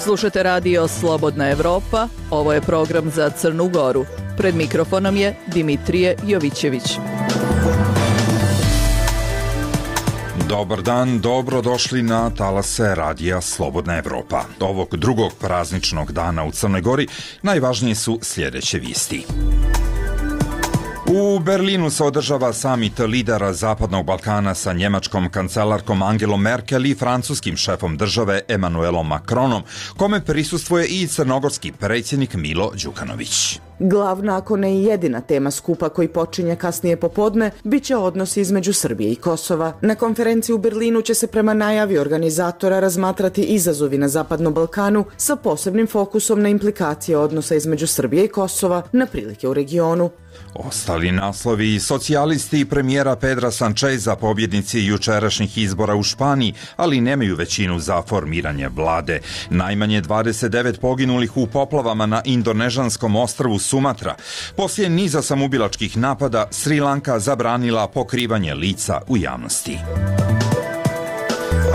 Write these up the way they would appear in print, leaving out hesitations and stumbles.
Slušate radio Slobodna Evropa, ovo je program za Crnu Goru. Pred mikrofonom je Dimitrije Jovićević. Dobar dan, dobrodošli na talase radija Slobodna Evropa. Ovog drugog prazničnog dana u Crnoj Gori najvažnije su sljedeće vijesti. U Berlinu se održava samit lidera Zapadnog Balkana sa njemačkom kancelarkom Angelom Merkel i francuskim šefom države Emmanuelom Macronom, kome prisustvuje i crnogorski predsjednik Milo Đukanović. Glavna, ako ne i jedina tema skupa koji počinje kasnije popodne, bit će odnosi između Srbije i Kosova. Na konferenciji u Berlinu će se prema najavi organizatora razmatrati izazovi na Zapadnom Balkanu sa posebnim fokusom na implikacije odnosa između Srbije i Kosova na prilike u regionu. Ostali naslovi: socijalisti i premijera Pedra Sancheza, pobjednici jučerašnjih izbora u Španiji, ali nemaju većinu za formiranje vlade. Najmanje 29 poginulih u poplavama na indonežanskom ostrvu Sumatra. Poslije niza samoubilačkih napada, Sri Lanka zabranila pokrivanje lica u javnosti.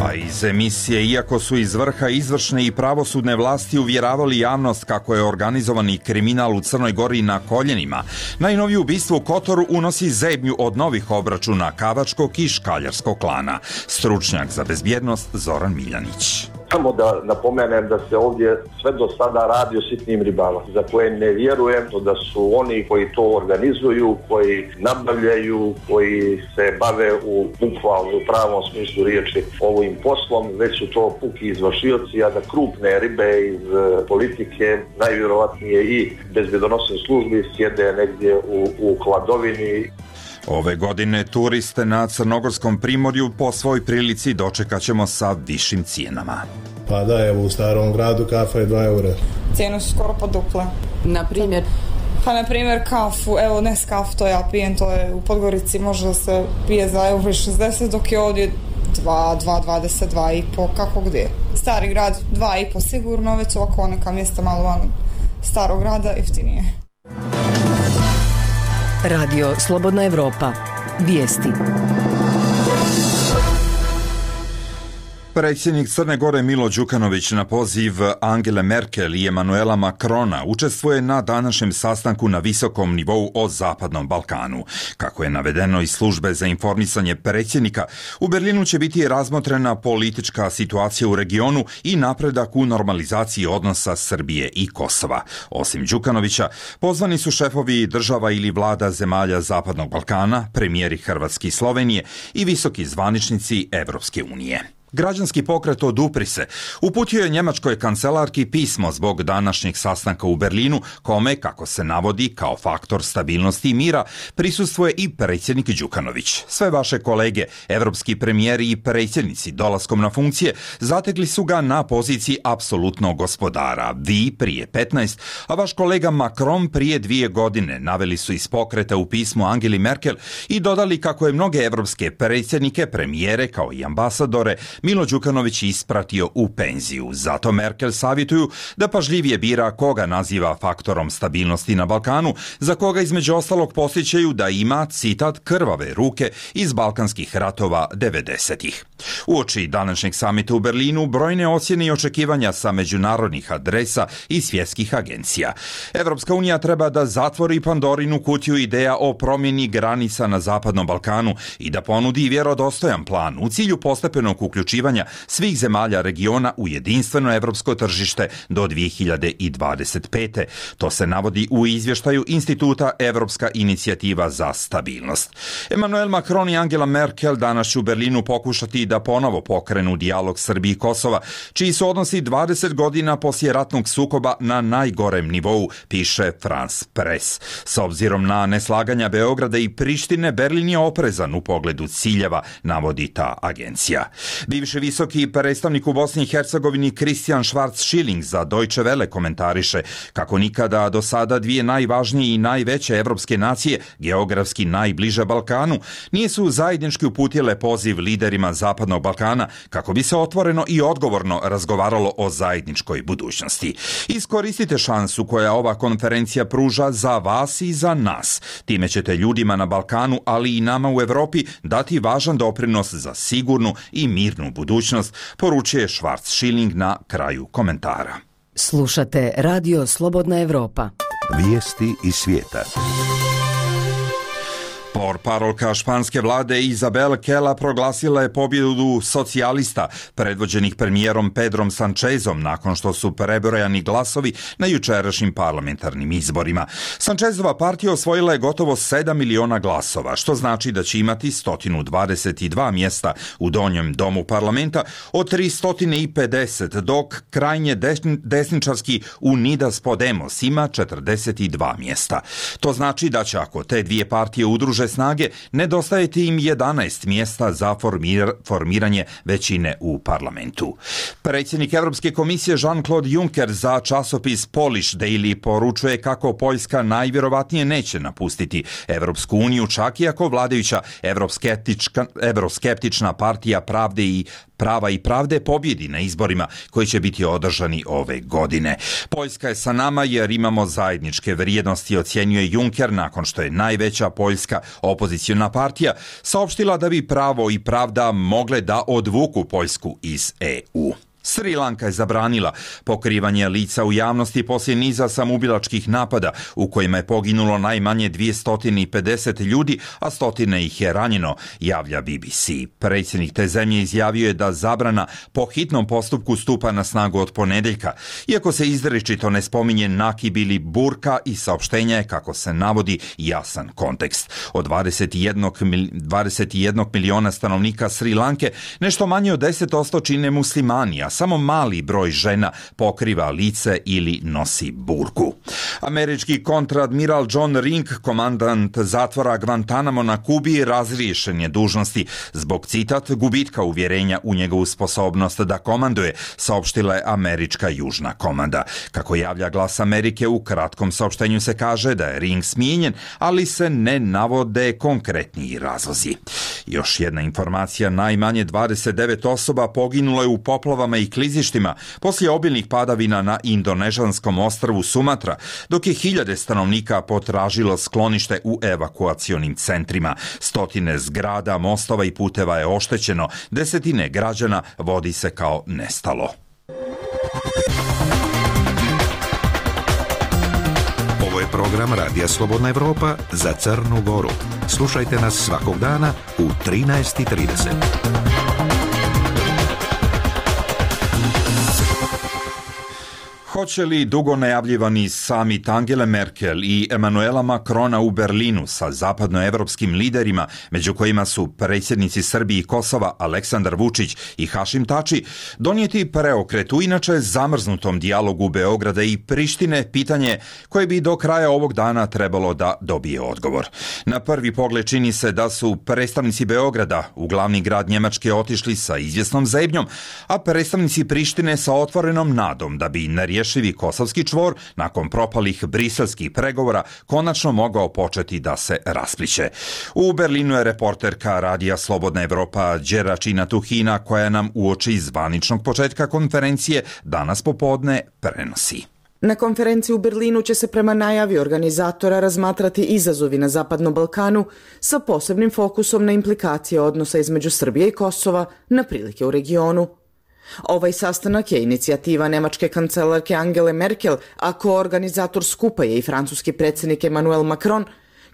A iz emisije, iako su iz vrha izvršne i pravosudne vlasti uvjeravali javnost kako je organizovani kriminal u Crnoj Gori na koljenima, najnovije ubistvo u Kotoru unosi zebnju od novih obračuna kavačkog i škaljarskog klana. Stručnjak za bezbjednost Zoran Miljanić. Samo da napomenem da se ovdje sve do sada radi o sitnim ribama, za koje ne vjerujem da su oni koji to organizuju, koji nabavljaju, koji se bave u bukvalno u pravom smislu riječi ovim poslom, već su to puki izvršioci, a da krupne ribe iz politike, najvjerovatnije i bezbjedonosnih službi, sjede negdje u hladovini. Ove godine turiste na Crnogorskom primorju po svoj prilici dočekat ćemo sa višim cijenama. Pa da, evo u Starom gradu kafa je 2 eura. Cijene su skoro poduple. Na primjer? Pa na primjer kafu, evo Nescafe to ja pijem, to je u Podgorici može da se pije za euro 60, dok je ovdje 2,20, 2,5, kako gdje. Stari grad 2,5 sigurno, već ovako neka mjesta malo van starog grada jeftinije. Radio Slobodna Evropa. Vijesti. Predsjednik Crne Gore Milo Đukanović na poziv Angele Merkel i Emmanuela Macrona učestvuje na današnjem sastanku na visokom nivou o Zapadnom Balkanu. Kako je navedeno iz službe za informisanje predsjednika, u Berlinu će biti razmotrena politička situacija u regionu i napredak u normalizaciji odnosa Srbije i Kosova. Osim Đukanovića, pozvani su šefovi država ili vlada zemalja Zapadnog Balkana, premijeri Hrvatske i Slovenije i visoki zvaničnici Evropske unije. Građanski pokret Odupri se uputio je njemačkoj kancelarki pismo zbog današnjeg sastanka u Berlinu, kome, kako se navodi, kao faktor stabilnosti i mira, prisustvuje i predsjednik Đukanović. Sve vaše kolege, evropski premijeri i predsjednici dolaskom na funkcije zatekli su ga na poziciji apsolutnog gospodara. Vi prije 15, a vaš kolega Macron prije 2 godine, naveli su iz pokreta u pismu Angeli Merkel i dodali kako je mnoge evropske predsjednike, premijere kao i ambasadore Milo Đukanović ispratio u penziju. Zato Merkel savjetuju da pažljivije bira koga naziva faktorom stabilnosti na Balkanu, za koga između ostalog posjećaju da ima, citat, krvave ruke iz balkanskih ratova 90-ih. Uoči današnjeg samita u Berlinu brojne ocjene i očekivanja sa međunarodnih adresa i svjetskih agencija. Evropska unija treba da zatvori Pandorinu kutiju ideja o promjeni granica na Zapadnom Balkanu i da ponudi vjerodostojan plan u cilju postepenog uključivanja svih zemalja regiona u jedinstveno evropsko tržište do 2025. To se navodi u izvještaju Instituta Evropska inicijativa za stabilnost. Emmanuel Macron i Angela Merkel danas će u Berlinu pokušati da ponovo pokrenu dijalog Srbije i Kosova, čiji su odnosi 20 godina poslije ratnog sukoba na najgorem nivou, piše France Press. S obzirom na neslaganja Beograda i Prištine, Berlin je oprezan u pogledu ciljeva, navodi ta agencija. Bivši visoki predstavnik u Bosni i Hercegovini Christian Schwarz-Schilling za Deutsche Welle komentariše kako nikada do sada dvije najvažnije i najveće evropske nacije, geografski najbliže Balkanu, nisu zajednički uputile poziv liderima Zapadnog Balkana kako bi se otvoreno i odgovorno razgovaralo o zajedničkoj budućnosti. Iskoristite šansu koja ova konferencija pruža za vas i za nas. Time ćete ljudima na Balkanu, ali i nama u Evropi dati važan doprinos za sigurnu i mirnu sigurnu budućnost, poručuje Schwarz-Schilling na kraju komentara. Slušate Radio Slobodna Evropa. Vijesti iz svijeta. Portparolka španske vlade Isabel Kela proglasila je pobjedu socijalista predvođenih premijerom Pedrom Sanchezom nakon što su prebrojani glasovi na jučerašnjim parlamentarnim izborima. Sanchezova partija osvojila je gotovo 7 miliona glasova, što znači da će imati 122 mjesta u donjem domu parlamenta od 350, dok krajnje desničarski Unidas Podemos ima 42 mjesta. To znači da će, ako te dvije partije udruže snage, nedostajeti im 11 mjesta za formiranje većine u parlamentu. Predsjednik Europske komisije Jean-Claude Juncker za časopis Polish Daily poručuje kako Poljska najvjerovatnije neće napustiti Europsku uniju, čak i ako vladajuća evroskeptična partija Prava i pravde pobjedi na izborima koji će biti održani ove godine. Poljska je sa nama jer imamo zajedničke vrijednosti, ocjenjuje Juncker nakon što je najveća poljska opoziciona partija saopštila da bi Pravo i pravda mogle da odvuku Poljsku iz EU. Sri Lanka je zabranila pokrivanje lica u javnosti poslije niza samoubilačkih napada u kojima je poginulo najmanje 250 ljudi, a stotine ih je ranjeno, javlja BBC. Predsjednik te zemlje izjavio je da zabrana po hitnom postupku stupa na snagu od ponedjeljka, iako se izričito ne spominje nakib ili burka i saopštenja je, kako se navodi, jasan kontekst. Od 21 miliona stanovnika Sri Lanke nešto manje od 10% čine muslimani, a samo mali broj žena pokriva lice ili nosi burku. Američki kontradmiral John Ring, komandant zatvora Guantanamo na Kubi, razriješen je dužnosti zbog, citat, gubitka uvjerenja u njegovu sposobnost da komanduje, saopštila je američka južna komanda. Kako javlja Glas Amerike, u kratkom saopštenju se kaže da je Ring smijenjen, ali se ne navode konkretniji razlozi. Još jedna informacija, najmanje 29 osoba poginulo je u poplavama i klizištima poslije obilnih padavina na indonežanskom ostrvu Sumatra, dok je hiljade stanovnika potražilo sklonište u evakuacionim centrima. Stotine zgrada, mostova i puteva je oštećeno, desetine građana vodi se kao nestalo. Ovo je program Radija Slobodna Evropa za Crnu Goru. Slušajte nas svakog dana u 13:30. Hoće li dugo najavljivani samit Angele Merkel i Emanuela Macrona u Berlinu sa zapadnoevropskim liderima, među kojima su predsjednici Srbije i Kosova Aleksandar Vučić i Hašim Tači, donijeti preokret u inače zamrznutom dijalogu Beograda i Prištine, pitanje koje bi do kraja ovog dana trebalo da dobije odgovor. Na prvi pogled čini se da su predstavnici Beograda u glavni grad Njemačke otišli sa izvjesnom zebnjom, a predstavnici Prištine sa otvorenom nadom da bi nerješivi kosovski čvor nakon propalih briselskih pregovora konačno mogao početi da se raspliće. U Berlinu je reporterka Radija Slobodna Evropa Đeračina Tuhina, koja nam uoči zvaničnog početka konferencije danas popodne prenosi. Na konferenciji u Berlinu će se prema najavi organizatora razmatrati izazovi na Zapadnom Balkanu sa posebnim fokusom na implikacije odnosa između Srbije i Kosova na prilike u regionu. Ovaj sastanak je inicijativa nemačke kancelarke Angele Merkel, a koorganizator skupa je i francuski predsjednik Emmanuel Macron,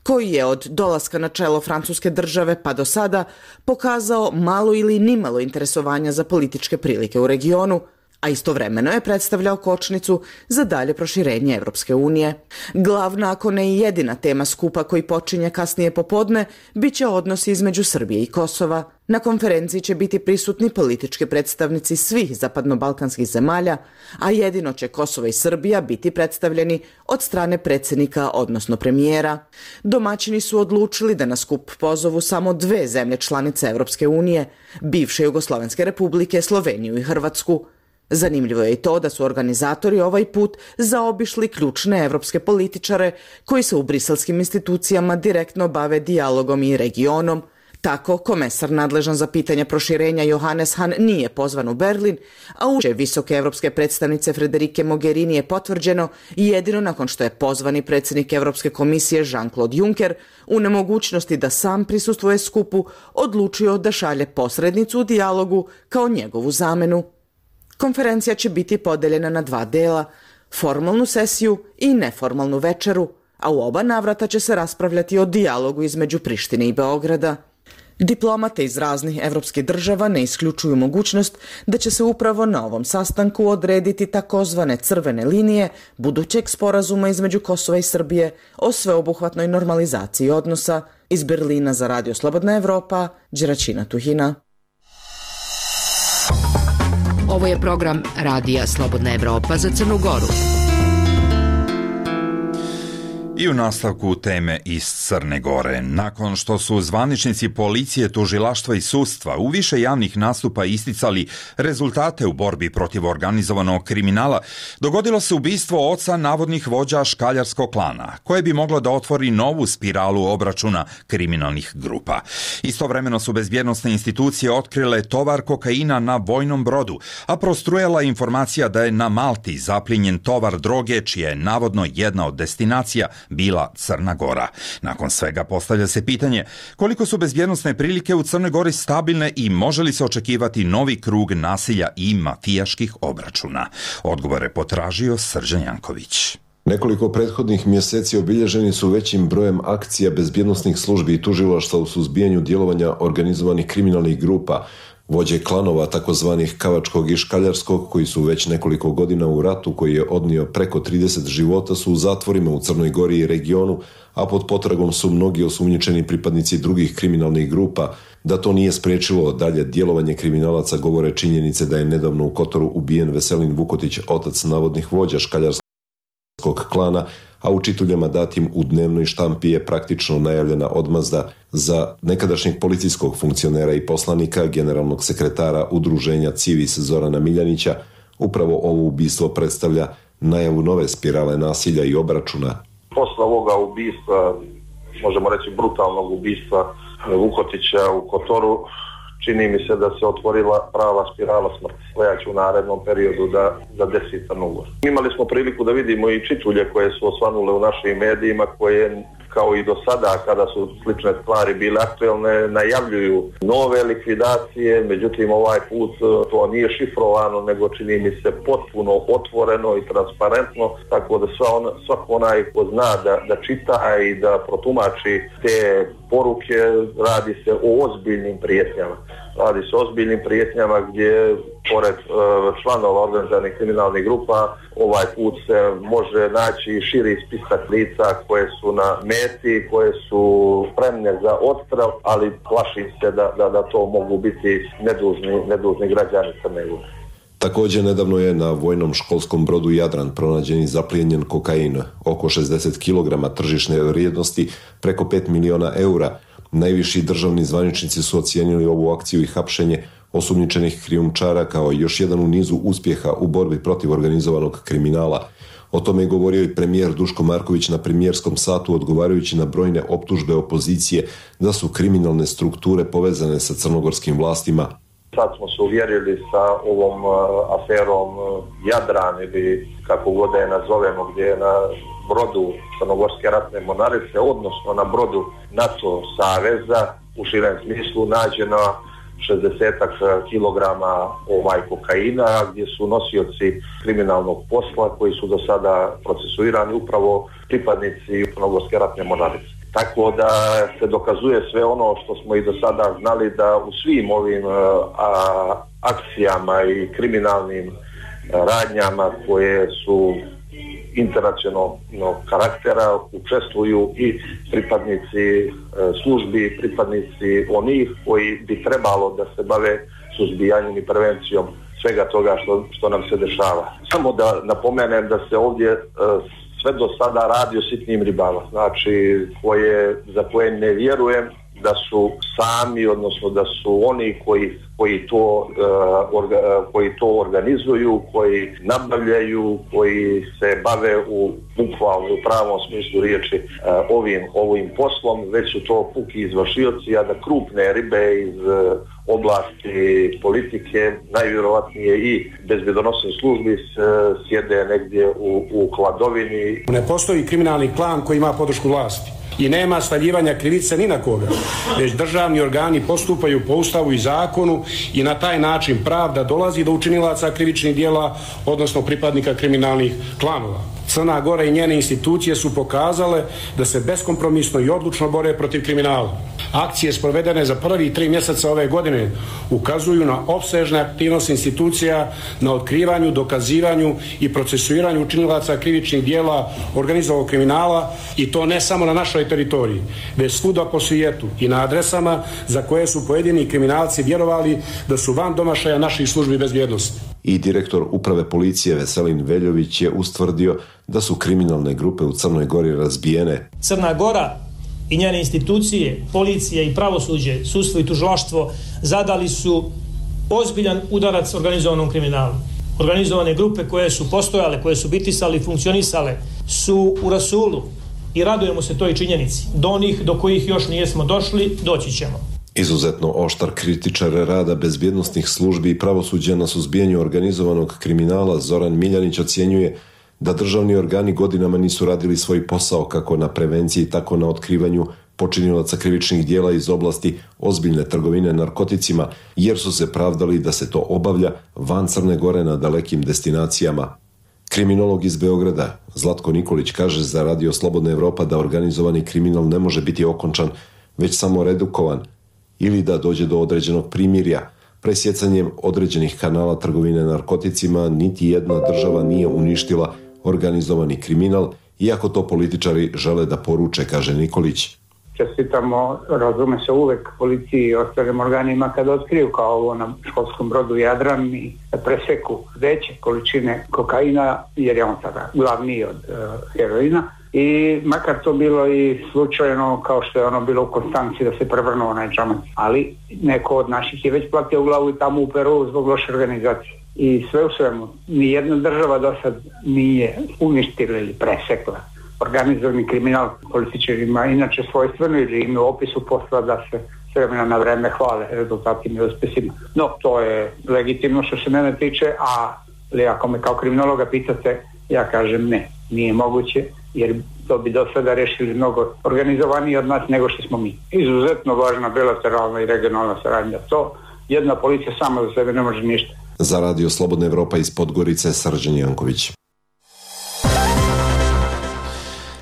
koji je od dolaska na čelo francuske države pa do sada pokazao malo ili nimalo interesovanja za političke prilike u regionu, a istovremeno je predstavljao kočnicu za dalje proširenje Evropske unije. Glavna, ako ne i jedina tema skupa koji počinje kasnije popodne, bit će odnosi između Srbije i Kosova. Na konferenciji će biti prisutni politički predstavnici svih zapadnobalkanskih zemalja, a jedino će Kosovo i Srbija biti predstavljeni od strane predsjednika, odnosno premijera. Domaćini su odlučili da na skup pozovu samo dve zemlje članice Evropske unije, bivše Jugoslovenske republike, Sloveniju i Hrvatsku. Zanimljivo je i to da su organizatori ovaj put zaobišli ključne evropske političare koji se u briselskim institucijama direktno bave dijalogom i regionom, Tako, komesar nadležan za pitanja proširenja Johannes Hahn nije pozvan u Berlin, a uče visoke evropske predstavnice Federike Mogherini je potvrđeno jedino nakon što je pozvani predsjednik Evropske komisije Jean-Claude Juncker u nemogućnosti da sam prisustvuje skupu odlučio da šalje posrednicu u dijalogu kao njegovu zamenu. Konferencija će biti podeljena na 2 dela, formalnu sesiju i neformalnu večeru, a u oba navrata će se raspravljati o dijalogu između Prištine i Beograda. Diplomate iz raznih evropskih država ne isključuju mogućnost da će se upravo na ovom sastanku odrediti takozvane crvene linije budućeg sporazuma između Kosova i Srbije o sveobuhvatnoj normalizaciji odnosa. Iz Berlina za Radio Slobodna Evropa, Đeračina Tuhina. Ovo je program Radija Slobodna Evropa za Crnu Goru. I u nastavku teme iz Crne Gore. Nakon što su zvaničnici policije, tužilaštva i sudstva u više javnih nastupa isticali rezultate u borbi protiv organizovanog kriminala, dogodilo se ubistvo oca navodnih vođa škaljarskog klana, koje bi moglo da otvori novu spiralu obračuna kriminalnih grupa. Istovremeno su bezbjednosne institucije otkrile tovar kokaina na vojnom brodu, a prostrujala informacija da je na Malti zaplijenjen tovar droge, čija je navodno jedna od destinacija bila Crna Gora. Nakon svega postavlja se pitanje koliko su bezbjednosne prilike u Crnoj Gori stabilne i može li se očekivati novi krug nasilja i mafijaških obračuna. Odgovore potražio Srđan Janković. Nekoliko prethodnih mjeseci obilježeni su većim brojem akcija bezbjednosnih službi i tužilaštva u suzbijanju djelovanja organizovanih kriminalnih grupa. Vođe klanova takozvanih Kavačkog i Škaljarskog, koji su već nekoliko godina u ratu koji je odnio preko 30 života, su u zatvorima u Crnoj Gori i regionu, a pod potragom su mnogi osumnjičeni pripadnici drugih kriminalnih grupa. Da to nije spriječilo dalje djelovanje kriminalaca govore činjenice da je nedavno u Kotoru ubijen Veselin Vukotić, otac navodnih vođa Škaljarskog klana, a u čituljama datim u dnevnoj štampi je praktično najavljena odmazda za nekadašnjeg policijskog funkcionera i poslanika, generalnog sekretara udruženja Civis Zorana Miljanića. Upravo ovo ubistvo predstavlja najavu nove spirale nasilja i obračuna. Posle ovoga ubistva, možemo reći brutalnog ubistva Vukotića u Kotoru, čini mi se da se otvorila prava spirala smrti koja će u narednom periodu da desi Crnu Goru. Imali smo priliku da vidimo i čitulje koje su osvanule u našim medijima, koje kao i do sada kada su slične stvari bile aktuelne, najavljuju nove likvidacije, međutim ovaj put to nije šifrovano, nego čini mi se potpuno otvoreno i transparentno, tako da svako onaj ko zna da čita i da protumači te poruke, radi se o ozbiljnim prijetnjama. Radi se o ozbiljnim prijetnjama gdje, pored članova organizovanih kriminalnih grupa, ovaj put se može naći širi spisak lica koje su na meti, koje su spremne za odstrel, ali plašim se da to mogu biti nedužni građani Crne Gore. Također nedavno je na vojnom školskom brodu Jadran pronađen i zaplijenjen kokain, oko 60 kg tržišne vrijednosti, preko 5 miliona eura. Najviši državni zvaničnici su ocijenili ovu akciju i hapšenje osumnjičenih krijumčara kao još jedan u nizu uspjeha u borbi protiv organizovanog kriminala. O tome je govorio i premijer Duško Marković na premijerskom satu, odgovarajući na brojne optužbe opozicije da su kriminalne strukture povezane sa crnogorskim vlastima. Sad smo se uvjerili sa ovom aferom Jadran ili kako god da je nazovemo, gdje je na brodu Crnogorske ratne mornarice, odnosno na brodu NATO saveza u širem smislu nađeno 60 kilograma kokaina, gdje su nosioci kriminalnog posla koji su do sada procesuirani upravo pripadnici Crnogorske ratne mornarice. Tako da se dokazuje sve ono što smo i do sada znali, da u svim ovim akcijama i kriminalnim radnjama koje su internacionalnog karaktera učestvuju i pripadnici službi, pripadnici onih koji bi trebalo da se bave suzbijanjem i prevencijom svega toga što nam se dešava. Samo da napomenem da se ovdje sve do sada radi o sitnim ribama, znači za koje ne vjerujem da su sami, odnosno da su oni koji koji to organizuju, koji nabavljaju, koji se bave u bukvalno u pravom smislu riječi ovim poslom, već su to puki izvršioci, a da krupne ribe iz oblasti politike, najvjerovatnije i bezbjedonosnih službi, sjede negdje u hladovini. Ne postoji kriminalni klan koji ima podršku vlasti i nema stavljivanja krivice ni na koga, već državni organi postupaju po Ustavu i zakonu i na taj način pravda dolazi do učinilaca krivičnih djela, odnosno pripadnika kriminalnih klanova. Crna Gora i njene institucije su pokazale da se beskompromisno i odlučno bore protiv kriminala. Akcije sprovedene za prvi 3 mjeseca ove godine ukazuju na opsežne aktivnosti institucija na otkrivanju, dokazivanju i procesuiranju učinilaca krivičnih djela organizovanog kriminala, i to ne samo na našoj teritoriji, već svuda po svijetu i na adresama za koje su pojedini kriminalci vjerovali da su van domašaja naših službi bezbjednosti. I direktor uprave policije Veselin Veljović je ustvrdio da su kriminalne grupe u Crnoj Gori razbijene. Crna Gora i njene institucije, policije i pravosuđe, sudstvo i tužilaštvo zadali su ozbiljan udarac organizovanom kriminalu. Organizovane grupe koje su postojale, koje su bitisale i funkcionisale su u rasulu i radujemo se toj činjenici. Do onih do kojih još nijesmo došli, doći ćemo. Izuzetno oštar kritičar rada bezbjednosnih službi i pravosuđa na suzbijanju organizovanog kriminala Zoran Miljanić ocjenjuje da državni organi godinama nisu radili svoj posao kako na prevenciji, tako na otkrivanju počinilaca krivičnih djela iz oblasti ozbiljne trgovine narkoticima, jer su se pravdali da se to obavlja van Crne Gore na dalekim destinacijama. Kriminolog iz Beograda Zlatko Nikolić kaže za Radio Slobodna Evropa da organizovani kriminal ne može biti okončan, već samo redukovan, ili da dođe do određenog primirja. Presjecanjem određenih kanala trgovine narkoticima niti jedna država nije uništila organizovani kriminal, iako to političari žele da poruče, kaže Nikolić. Čestitamo, razume se, uvek policiji i ostalim organima kada otkriju, kao ovo na školskom brodu Jadran, i preseku veće količine kokaina, jer je on sada glavniji od heroina. I makar to bilo i slučajno, kao što je ono bilo u Konstanci, da se prevrnuo onaj džamac. Ali neko od naših je već platio u glavu i tamo u Peru zbog loše organizacije. I sve u svemu, nijedna država do sad nije uništila ili presekla organizovani kriminal. Političarima inače svojstveno ili im u opisu posla da se s vremena na vreme hvale rezultatima i uspjesima. No, to je legitimno što se mene tiče, ali ako me kao kriminologa pitate, ja kažem ne, nije moguće, jer to bi do sada rešili mnogo organizovaniji od nas nego što smo mi. Izuzetno važna bilateralna i regionalna saradnja. To jedna policija sama za sebe ne može ništa. Za Radio Slobodna Evropa iz Podgorice, Srđan Janković.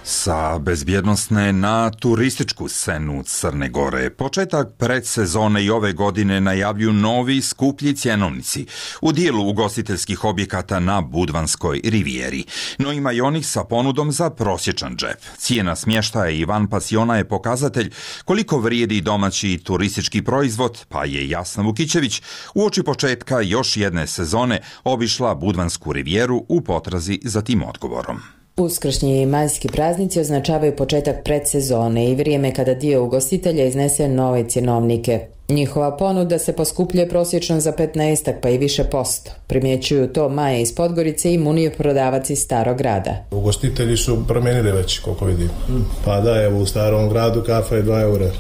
Sa bezbjednosne na turističku scenu Crne Gore. Početak predsezone i ove godine najavljuju novi skuplji cjenovnici u dijelu ugostiteljskih objekata na Budvanskoj rivijeri. No ima i onih sa ponudom za prosječan džep. Cijena smještaja i van pasiona je pokazatelj koliko vrijedi domaći turistički proizvod, pa je Jasna Vukićević uoči početka još jedne sezone obišla Budvansku rivijeru u potrazi za tim odgovorom. Uskršnji i majski praznici označavaju početak predsezone i vrijeme kada dio ugostitelja iznese nove cjenovnike. Njihova ponuda se poskupljuje prosječno za 15 pa i više posto. Primjećuju to Maja iz Podgorice i Munije, prodavac iz Starog grada. Ugostitelji su promijenili već, koliko vidim. Pa da, evo u Starom gradu kafa je 2 eura.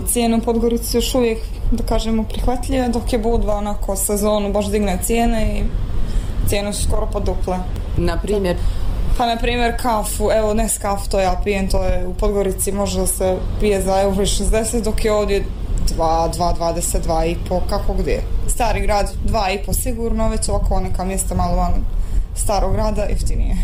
Cijene u Podgorici još uvijek, da kažemo, prihvatljive, dok je Budva onako sezonu baš digne cijene i cijene su skoro poduple. Na primjer? Pa na primjer kafu, evo Nescafe to ja pijem, to je u Podgorici može se pije za €60, dok je ovdje 2,20, 2,5, kako gdje. Stari grad 2,5 sigurno, već ovako neka mjesta malo van Starog grada jeftinije.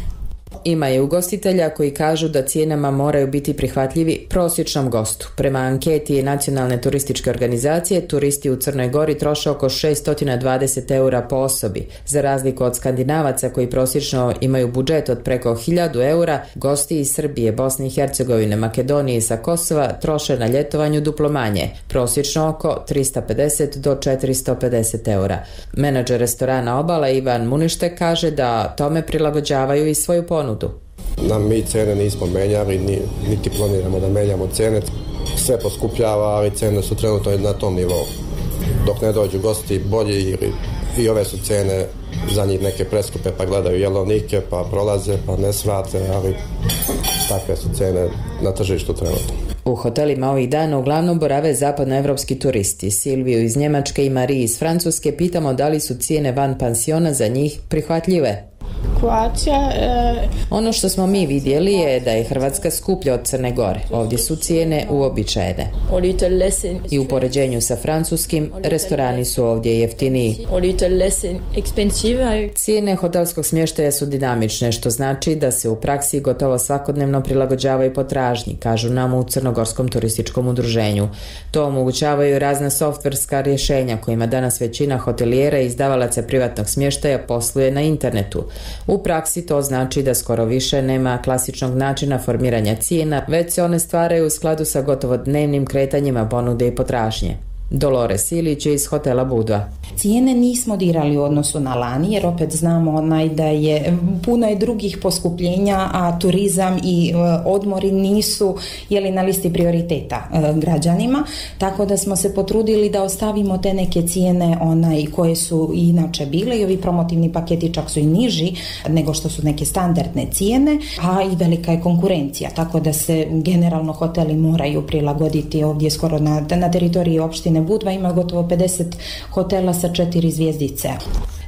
Ima je ugostitelja koji kažu da cijenama moraju biti prihvatljivi prosječnom gostu. Prema anketi Nacionalne turističke organizacije, turisti u Crnoj Gori troše oko 620 eura po osobi. Za razliku od Skandinavaca koji prosječno imaju budžet od preko 1000 eura, gosti iz Srbije, Bosne i Hercegovine, Makedonije i sa Kosova troše na ljetovanju duplo manje, prosječno oko 350 do 450 eura. Menadžer restorana Obala Ivan Munište kaže da tome prilagođavaju i svoju ponudu. Mi cene nismo menjali, niti planiramo da menjamo cene. Sve poskupljava, ali cene su trenutno na tom nivou. dok ne dođu gosti bolji ili i ove su cene za njih neke preskupe, pa gledaju jelovnike, pa prolaze, pa ne svrate, ali takve su cene na tržištu trenutno. U hotelima ovih dana uglavnom borave zapadnoevropski turisti. Silviju iz Njemačke i Mariji iz Francuske pitamo da li su cijene van pansiona za njih prihvatljive. Ono što smo mi vidjeli je da je Hrvatska skuplja od Crne Gore. Ovdje su cijene uobičajene. I u poređenju sa francuskim, restorani su ovdje jeftiniji. Cijene hotelskog smještaja su dinamične, što znači da se u praksi gotovo svakodnevno prilagođavaju potražnji, kažu nam u Crnogorskom turističkom udruženju. To omogućavaju razna softverska rješenja kojima danas većina hotelijera i izdavalaca privatnog smještaja posluje na internetu. U praksi to znači da skoro više nema klasičnog načina formiranja cijena, već se one stvaraju u skladu sa gotovo dnevnim kretanjima ponude i potražnje. Dolores Ilić iz hotela Budva. Cijene nismo dirali u odnosu na lani, jer opet znamo da je puno je drugih poskupljenja, a turizam i odmori nisu na listi prioriteta građanima, tako da smo se potrudili da ostavimo te neke cijene koje su inače bile, i ovi promotivni paketi čak su i niži nego što su neke standardne cijene, a i velika je konkurencija, tako da se generalno hoteli moraju prilagoditi. Ovdje skoro na teritoriji opštine Budva ima gotovo 50 hotela sa 4 zvjezdice.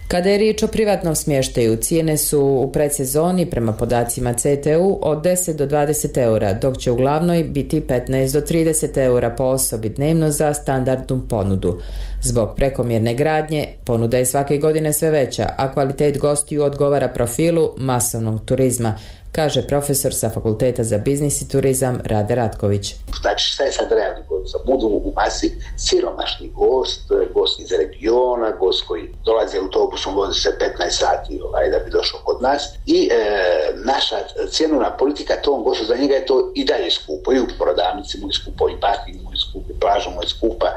Kada je riječ o privatnom smještaju, cijene su u predsezoni prema podacima CTU od 10 do 20 eura, dok će u glavnoj biti 15 do 30 eura po osobi dnevno za standardnu ponudu. Zbog prekomjerne gradnje, ponuda je svake godine sve veća, a kvalitet gostiju odgovara profilu masovnog turizma, kaže profesor sa Fakulteta za biznis i turizam Rade Ratković. Znači šta je sad realni gost? Budu u masi siromašni gost iz regiona, gost koji dolazi autobusom, vozi se 15 sati da bi došao kod nas, i naša cjenovna politika tom gostu, za njega je to i dalje skupo, i u prodavnici mu je skupo, i parking mu je skupo, i plaža mu je skupa,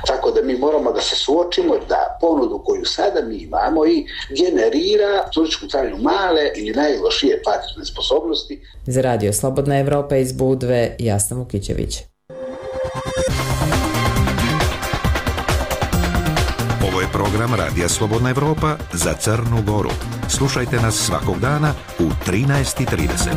tako da mi moramo da se suočimo da ponudu koju sada mi imamo i generira turističku carinu male ili najlošije platežne sposobnosti. Za Radio Slobodna Evropa iz Budve, Jasna Vukićević. Ovo je program Radija Slobodna Evropa za Crnu Goru. Slušajte nas svakog dana u 13:30.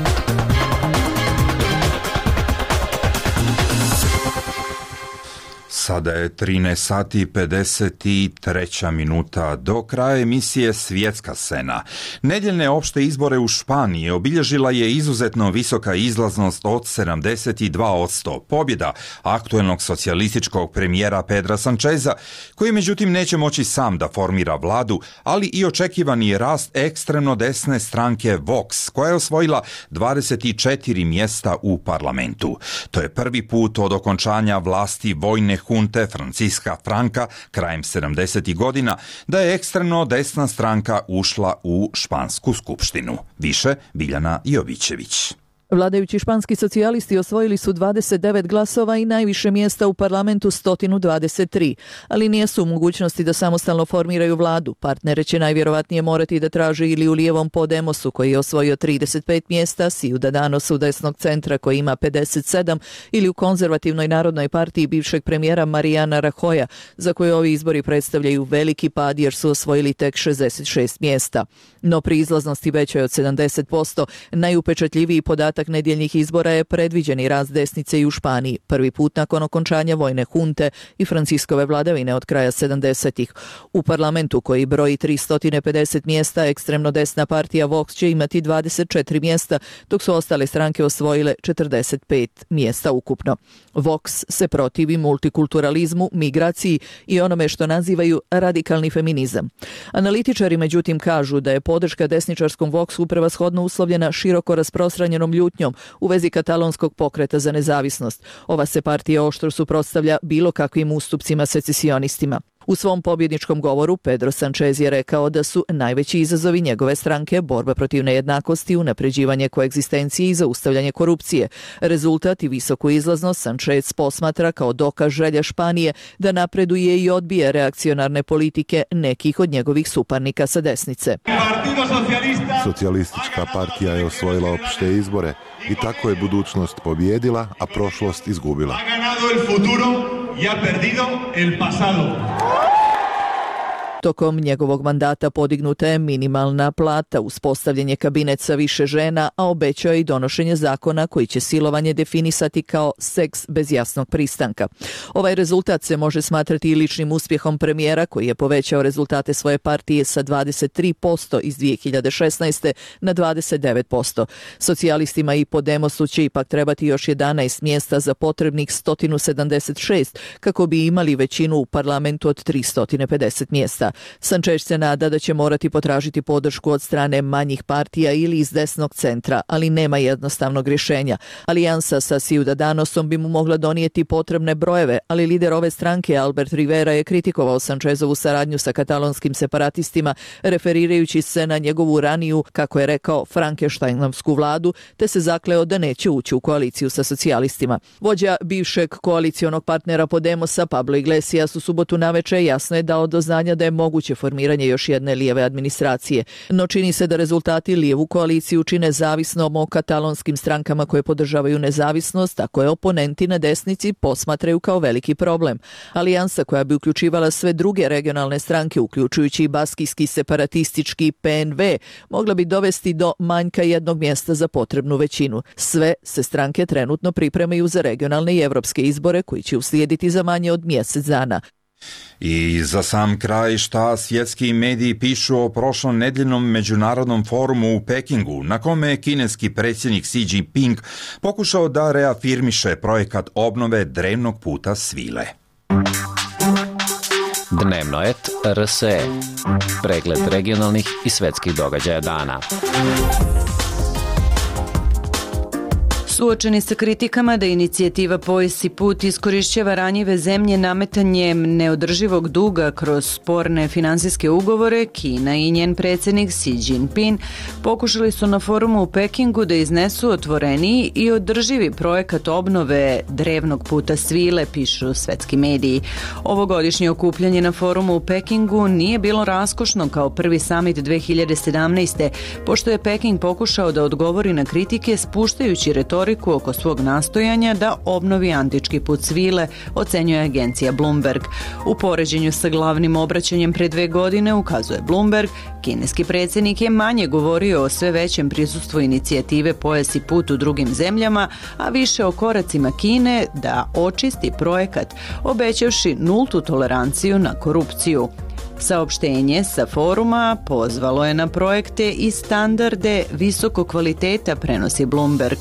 Sada je 13 sati i 53 minuta. Do kraja emisije Svjetska scena. Nedjeljne opšte izbore u Španiji obilježila je izuzetno visoka izlaznost od 72%. Pobjeda aktuelnog socijalističkog premijera Pedra Sancheza, koji međutim neće moći sam da formira vladu, ali i očekivani je rast ekstremno desne stranke Vox, koja je osvojila 24 mjesta u parlamentu. To je prvi put od okončanja vlasti vojne hunte Francisca Franka krajem 70. godina da je ekstremno desna stranka ušla u špansku skupštinu. Više Biljana Jovićević. Vladajući španski socijalisti osvojili su 29 glasova i najviše mjesta u parlamentu 123, ali nijesu u mogućnosti da samostalno formiraju vladu. Partnere će najvjerovatnije morati da traže ili u lijevom Podemosu koji je osvojio 35 mjesta, Ciudadanosu desnog centra koji ima 57 ili u konzervativnoj narodnoj partiji bivšeg premijera Mariana Rajoya, za koje ovi izbori predstavljaju veliki pad jer su osvojili tek 66 mjesta. No pri izlaznosti većoj od 70%, najupečatljiviji podatak nedjeljnih izbora je predviđeni rast desnice i u Španiji, prvi put nakon okončanja vojne hunte i Franciskove vladavine od kraja 70-ih. U parlamentu koji broji 350 mjesta, ekstremno desna partija Vox će imati 24 mjesta, dok su ostale stranke osvojile 45 mjesta ukupno. Vox se protivi multikulturalizmu, migraciji i onome što nazivaju radikalni feminizam. Analitičari međutim kažu da je podrška desničarskom Voxu prevashodno uslovljena široko rasprostranjenom ljutnjom u vezi katalonskog pokreta za nezavisnost. Ova se partija oštro suprotstavlja bilo kakvim ustupcima secesionistima. U svom pobjedničkom govoru Pedro Sanchez je rekao da su najveći izazovi njegove stranke borba protiv nejednakosti, unapređivanje koegzistencije i zaustavljanje korupcije. Rezultat i visoku izlaznost Sanchez posmatra kao dokaz želje Španije da napreduje i odbije reakcionarne politike nekih od njegovih suparnika sa desnice. Socijalistička partija je osvojila opšte izbore i tako je budućnost pobjedila, a prošlost izgubila. Y ha perdido el pasado. Tokom njegovog mandata podignuta je minimalna plata, uspostavljen je kabinet sa više žena, a obećao je i donošenje zakona koji će silovanje definisati kao seks bez jasnog pristanka. Ovaj rezultat se može smatrati i ličnim uspjehom premijera koji je povećao rezultate svoje partije sa 23% iz 2016. na 29%. Socijalistima i Podemosu će ipak trebati još 11 mjesta za potrebnih 176 kako bi imali većinu u parlamentu od 350 mjesta. Sanchez se nada da će morati potražiti podršku od strane manjih partija ili iz desnog centra, ali nema jednostavnog rješenja. Alijansa sa Ciudadanosom bi mu mogla donijeti potrebne brojeve, ali lider ove stranke Albert Rivera je kritikovao Sanchezovu saradnju sa katalonskim separatistima, referirajući se na njegovu raniju, kako je rekao, Frankensteinovsku vladu, te se zakleo da neće ući u koaliciju sa socijalistima. Vođa bivšeg koalicionog partnera Podemosa, Pablo Iglesias, u subotu naveče jasno je dao do znanja da je moguće formiranje još jedne lijeve administracije. No čini se da rezultati lijevu koaliciju čine zavisnom o katalonskim strankama koje podržavaju nezavisnost, a koje oponenti na desnici posmatraju kao veliki problem. Alijansa koja bi uključivala sve druge regionalne stranke, uključujući i baskijski separatistički PNV, mogla bi dovesti do manjka jednog mjesta za potrebnu većinu. Sve se stranke trenutno pripremaju za regionalne i evropske izbore koji će uslijediti za manje od mjesec dana. I za sam kraj, šta svjetski mediji pišu o prošlom nedjeljnom međunarodnom forumu u Pekingu, na kome je kineski predsjednik Xi Jinping pokušao da reafirmiše projekat obnove drevnog puta svile. Dnevnoet RSE. Pregled regionalnih i svjetskih događaja dana. Suočeni sa kritikama da inicijativa Pojas i put iskorišćava ranjive zemlje nametanjem neodrživog duga kroz sporne finansijske ugovore, Kina i njen predsjednik Xi Jinping pokušali su na forumu u Pekingu da iznesu otvoreniji i održivi projekat obnove drevnog puta svile, pišu svetski mediji. Ovogodišnje okupljanje na forumu u Pekingu nije bilo raskošno kao prvi summit 2017. pošto je Peking pokušao da odgovori na kritike spuštajući retoriku oko svog nastojanja da obnovi antički put svile, ocenjuje agencija Bloomberg. U poređenju sa glavnim obraćanjem pre 2 godine, ukazuje Bloomberg, kineski predsjednik je manje govorio o sve većem prisustvu inicijative Pojas i put u drugim zemljama, a više o koracima Kine da očisti projekat, obećavši nultu toleranciju na korupciju. Saopštenje sa foruma pozvalo je na projekte i standarde visokog kvaliteta, prenosi Bloomberg.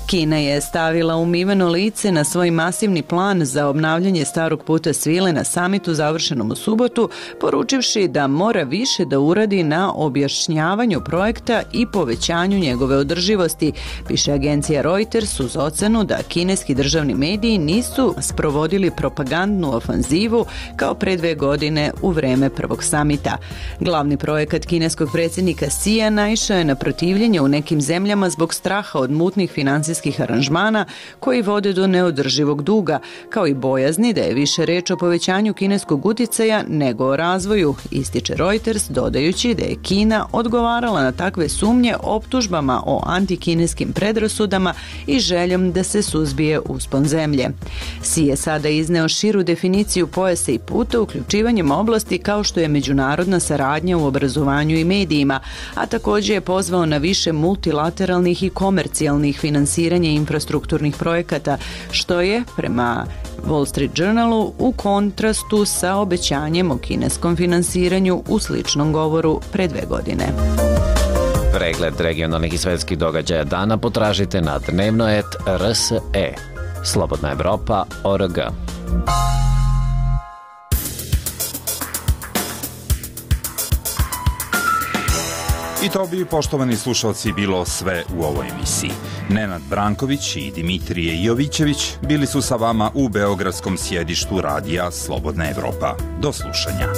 Kina je stavila umiveno lice na svoj masivni plan za obnavljanje starog puta svile na samitu završenom u subotu, poručivši da mora više da uradi na objašnjavanju projekta i povećanju njegove održivosti, piše agencija Reuters uz ocenu da kineski državni mediji nisu sprovodili propagandnu ofanzivu kao pre 2 godine u vreme prvog samita. Glavni projekat kineskog predsjednika Xija naišao je na protivljenje u nekim zemljama zbog straha od mutnih financijskih aranžmana koji vode do neodrživog duga, kao i bojazni da je više reč o povećanju kineskog uticaja nego o razvoju, ističe Reuters, dodajući da je Kina odgovarala na takve sumnje optužbama o antikineskim predrasudama i željom da se suzbije uspon zemlje. Xi je sada izneo širu definiciju pojasa i puta uključivanjem oblasti kao što je međunarodna saradnja u obrazovanju i medijima, a također je pozvao na više multilateralnih i komercijalnih finansiranja infrastrukturnih projekata, što je, prema Wall Street Journalu, u kontrastu sa obećanjem o kineskom finansiranju u sličnom govoru pre 2 godine. Pregled regionalnih i svjetskih događaja dana potražite na Dnevnoet RSE. Slobodna Evropa.org. I to bi, poštovani slušalci, bilo sve u ovoj emisiji. Nenad Branković i Dimitrije Jovićević bili su sa vama u beogradskom sjedištu radija Slobodna Evropa. Do slušanja.